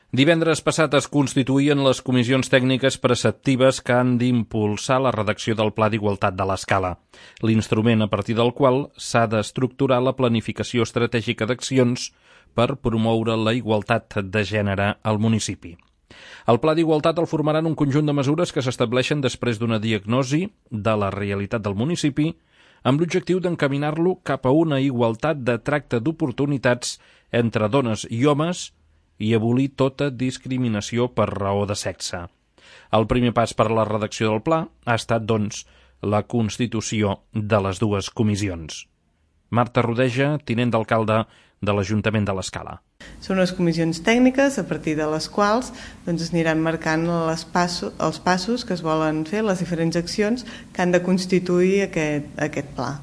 Divendres passat es constituïen les comissions tècniques preceptives que han d'impulsar la redacció del Pla d'Igualtat de l'Escala, l'instrument a partir del qual s'ha d'estructurar la planificació estratègica d'accions per promoure la igualtat de gènere al municipi. El Pla d'Igualtat el formaran un conjunt de mesures que s'estableixen després d'una diagnosi de la realitat del municipi amb l'objectiu d'encaminar-lo cap a una igualtat de tracte d'oportunitats entre dones i homes i abolir tota discriminació per raó de sexe. El primer pas per a la redacció del pla ha estat, doncs, la constitució de les dues comissions. Marta Rodeja, tinent d'alcalde de l'Ajuntament de l'Escala. Són unes comissions tècniques a partir de les quals es aniran marcant els passos que es volen fer, les diferents accions que han de constituir aquest pla.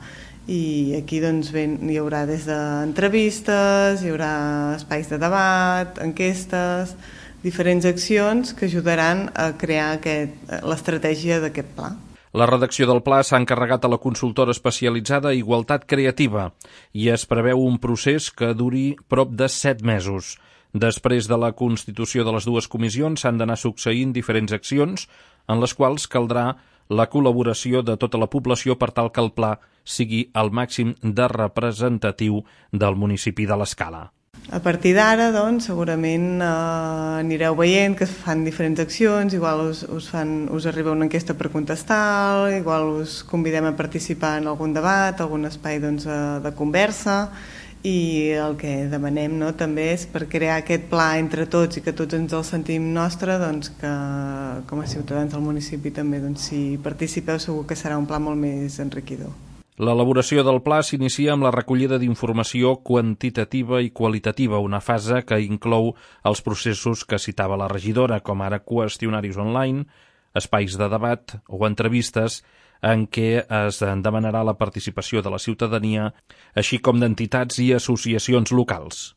I aquí hi haurà des d'entrevistes, hi haurà espais de debat, enquestes, diferents accions que ajudaran a crear l'estratègia d'aquest pla. La redacció del pla s'ha encarregat a la consultora especialitzada Igualtat Creativa i es preveu un procés que duri prop de 7 mesos. Després de la constitució de les dues comissions s'han d'anar succeint diferents accions en les quals caldrà la col·laboració de tota la població per tal que el pla sigui el màxim de representatiu del municipi de l'Escala. A partir d'ara, segurament anireu veient que es fan diferents accions, igual us arriba una enquesta per contestar, igual us convidem a participar en algun debat, algun espai de conversa, i el que demanem també és per crear aquest pla entre tots i que tots ens el sentim nostre, que com a ciutadans del municipi també si participeu segur que serà un pla molt més enriquidor. L'elaboració del pla s'inicia amb la recollida d'informació quantitativa i qualitativa, una fase que inclou els processos que citava la regidora, com ara qüestionaris online, espais de debat o entrevistes en què es demanarà la participació de la ciutadania, així com d'entitats i associacions locals.